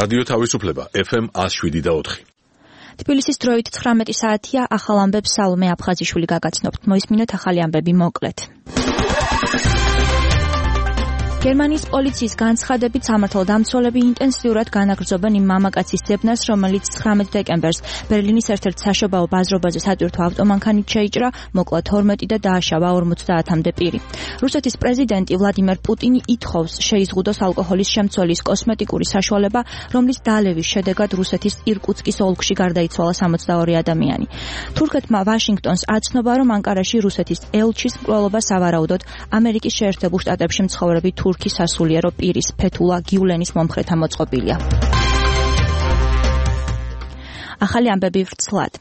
რადიო თავისუფლება FM 107.4. თბილისის დროით 19 საათია, ახალ ამბებს სალომე აფხაზიშვილი გაგაცნობთ. მოისმინოთ ახალი ამბები მოკლედ. გერმანიის პოლიციის განცხადებით სამართალდამცველები ინტენსიურად განაგრძობენ იმ მამაკაცის ძებნას, რომელიც 19 დეკემბერს ბერლინის ერთ-ერთ საშობაო ბაზრობაზე სატვირთო ავტომანქანით შეიჭრა, მოკლა 12 და დააშავა 50-მდე პირი. რუსეთის პრეზიდენტი ვლადიმერ პუტინი ითხოვს შეიზღუდოს ალკოჰოლის შემცველის კოსმეტიკური საშუალება, რომლის დალევის შედეგად რუსეთის ირკუტსკის ოლქში გარდაიცვალა 62 ადამიანი. თურქეთმა ვაშინგტონს აცნობა, რომ ანკარაში რუსეთის ელჩის მკვლელობა სავარაუდოდ ამერიკის შეერთებულ შტატებში მცხოვრები თურქის სასულიერო პირის ფეთულა გიულენის მომხრეთა მოწყობილია. ახალი ამბები ვრცლად.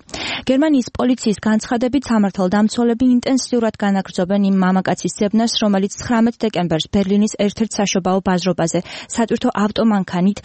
გერმანიის პოლიციის განცხადებით სამართალდამცველები ინტენსიურად განაგრძობენ იმ მამაკაცის ძებნას, რომელიც 19 დეკემბერს ბერლინის ერთ-ერთ საშობაო ბაზრობაზე სატვირთო ავტომანქანით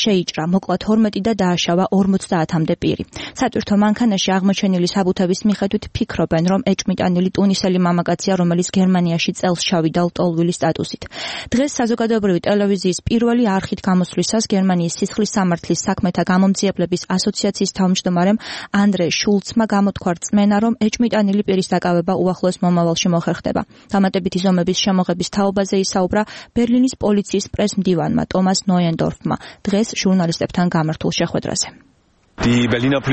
შეიჭრა, მოკლა 12 და დააშავა 50-მდე პირი. სატვირთო მანქანაში აღმოჩენილი საბუთების მიხედვით ფიქრობენ, რომ ეჭმიტანილი ტუნისელი მამაკაცია, რომელიც გერმანიაში წელს ჩავიდა ლტოლვილი სტატუსით. დღეს საზოგადოებრივი ტელევიზიის პირველი არხით გამოსვლისას გერმანიის სისხლის სამართლის საქმეთა გამომძიებლების ასოციაციის თავმჯდომარემ ანდრე შულცმა გამოთქვა რწმენა, რომ ეჭმიტანილი პირის დაკავება უახლოეს მომავალში მოხერხდება. დამატებითი ზომების შემოღების თაობაზე ისაუბრა ბერლინის პოლიციის პრესმდივანმა ტომას ნოიენდორფმა დღეს ჟურნალისტებთან გამართულ შეხვედრაზე. ბერლინის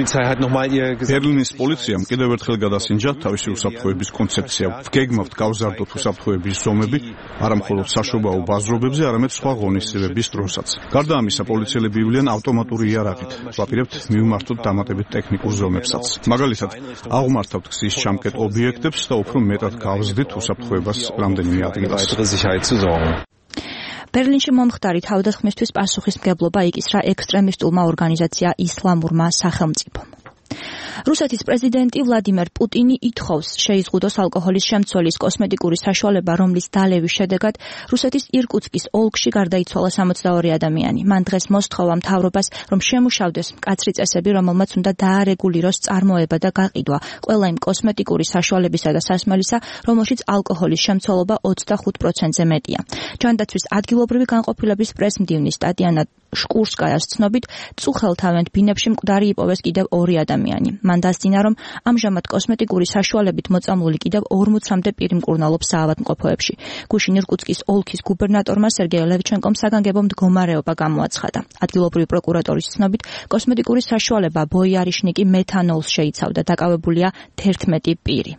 პოლიციამ კიდევ ერთხელ გადასინჯა თავისი უსაფრთხოების კონცეფცია. ვგეგმავთ გავზარდოთ უსაფრთხოების ზომები, არა მხოლოდ საშობაო ბაზრობებზე, არამედ სხვა ღონისძიებების დროსაც. გარდა ამისა, პოლიციელები ივლიან ავტომატური იარაღით. ვაპირებთ მივმართოთ დამატებით ტექნიკურ ზომებსაც. მაგალითად, აღმართავთ გზის ჩამკეტ ობიექტებს და უფრო მეტად გავზრდით უსაფრთხოებას რამდენიმე ადგილას. ბერლინში მომხდარი თავდასხმისთვის პასუხისმგებლობა იკისრა ექსტრემისტულმა ორგანიზაცია ისლამურმა სახელმწიფომ. რუსეთის პრეზიდენტი ვლადიმერ პუტინი ითხოვს შეიზღუდოს ალკოჰოლის შემცველის კოსმეტიკური საშუალება, რომლის დალევის შედეგად რუსეთის ირკუტსკის ოლქში გარდაიცვალა 62 ადამიანი. მან დღეს მოსთხოვა მთავრობას, რომ შემუშავდეს მკაცრი წესები, რომელმაც უნდა დაარეგულიროს წარმოება და გაყიდვა ყველა იმ კოსმეტიკური საშუალებისა და სასმელისა, რომელშიც ალკოჰოლის შემცველობა 25%-ზე მეტია. ჯანდაცვის ადგილობრივი განყოფილების პრესმდივნის ტატიანა შკურსკაიას ცნობით, წუხელთავენ ბინებში მკვდარი იპოვეს კიდევ 2 ადამიანი. მან დასძინა, რომ ამჟამად კოსმეტიკური საშუალებით მოწამლული კიდევ 40-მდე პირი მკურნალობს საავადმყოფოებში. გუშინ ირკუტსკის ოლქის გუბერნატორმა სერგეი ლევჩენკომ საგანგებო მდგომარეობა გამოაცხადა. ადგილობრივი პროკურატორის ცნობით, კოსმეტიკური საშუალება ბოიარიშნიკი მეთანოლს შეიცავდა, დაკავებულია 11 პირი.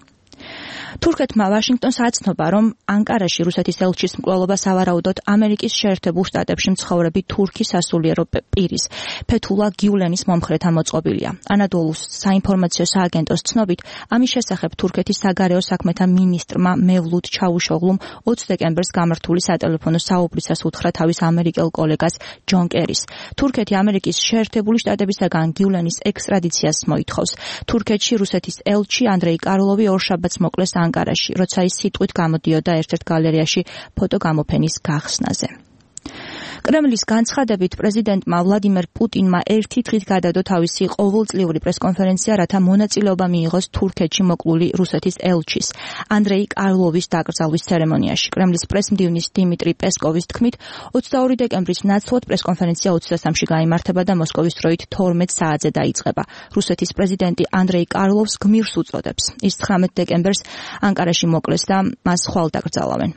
თურქეთმა ვაშინგტონს აცნობა, რომ ანკარაში რუსეთის ელჩის მკვლელობა სავარაუდოდ ამერიკის შეერთებულ შტატებში მცხოვრები თურქის სასულიერო პირის ფეთულა გიულენის მომხრეთა მოწყობილია. ანადოლუს საინფორმაციო სააგენტოს ცნობით, ამის შესახებ თურქეთის საგარეო საქმეთა მინისტრმა მევლუდ ჩავუშოღლუმ 20 დეკემბერს გამართული სატელეფონო საუბრისას უთხრა თავის ამერიკელ კოლეგას ჯონ კერის. თურქეთი ამერიკის შეერთებული შტატებისაგან გიულენის ექსტრადიციას მოითხოვს. თურქეთში რუსეთის ელჩი ანდრეი კარლოვი ორშაბათს მოკლეს ანკარაში, როცა ის სიტყვით გამოდიოდა ერთ-ერთ გალერეაში ფოტოგამოფენის გახსნაზე. კრემლის განცხადებით პრეზიდენტმა ვლადიმერ პუტინმა ერთი დღით გადადო თავისი ყოველწლიური პრესკონფერენცია, რათა მონაწილეობა მიიღოს თურქეთში მოკლული რუსეთის ელჩის ანდრეი კარლოვის დაკრძალვის ცერემონიაში. კრემლის პრესმდივნის დიმიტრი პესკოვის თქმით, 22 დეკემბრის ნაცვლად პრესკონფერენცია 23-ში გაიმართება და მოსკოვის დროით 12 საათზე დაიწყება. რუსეთის პრეზიდენტი ანდრეი კარლოვს გმირს უწოდებს. ის 19 დეკემბერს ანკარაში მოკლეს და მას ხვალ დაკრძალავენ.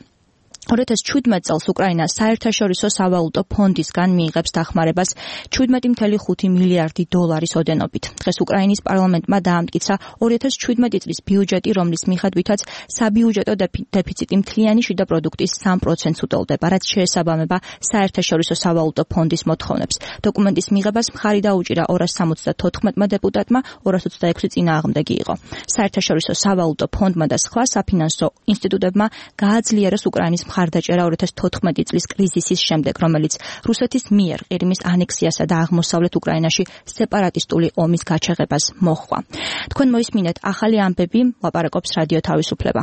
2017 წელს უკრაინა საერთაშორისო სავალუტო ფონდისგან მიიღებს დახმარებას 17.5 მილიარდი დოლარის ოდენობით. დღეს უკრაინის პარლამენტმა დაამტკიცა 2017 წლის ბიუჯეტი, რომლის მიხედვითაც საბიუჯეტო დეფიციტი მთლიანი შიდა პროდუქტის 3%-ს უტოლდება, რაც შეესაბამება საერთაშორისო სავალუტო ფონდის მოთხოვნებს. დოკუმენტის მიღებას მხარი დაუჭირა 274 დეპუტატმა, 226 წინააღმდეგი იყო. საერთაშორისო სავალუტო ფონდმა და სხვა საფინანსო ინსტიტუტებმა გააძლიერეს უკრაინის მხარდაჭერა 2014 წლის კრიზისის შემდეგ, რომელიც რუსეთის მიერ ყირიმის ანექსიასა და აღმოსავლეთ უკრაინაში სეპარატისტული ომის გაჩაღებას მოჰყვა. თქვენ მოისმინეთ ახალი ამბები, ლაპარაკობს რადიო თავისუფლება.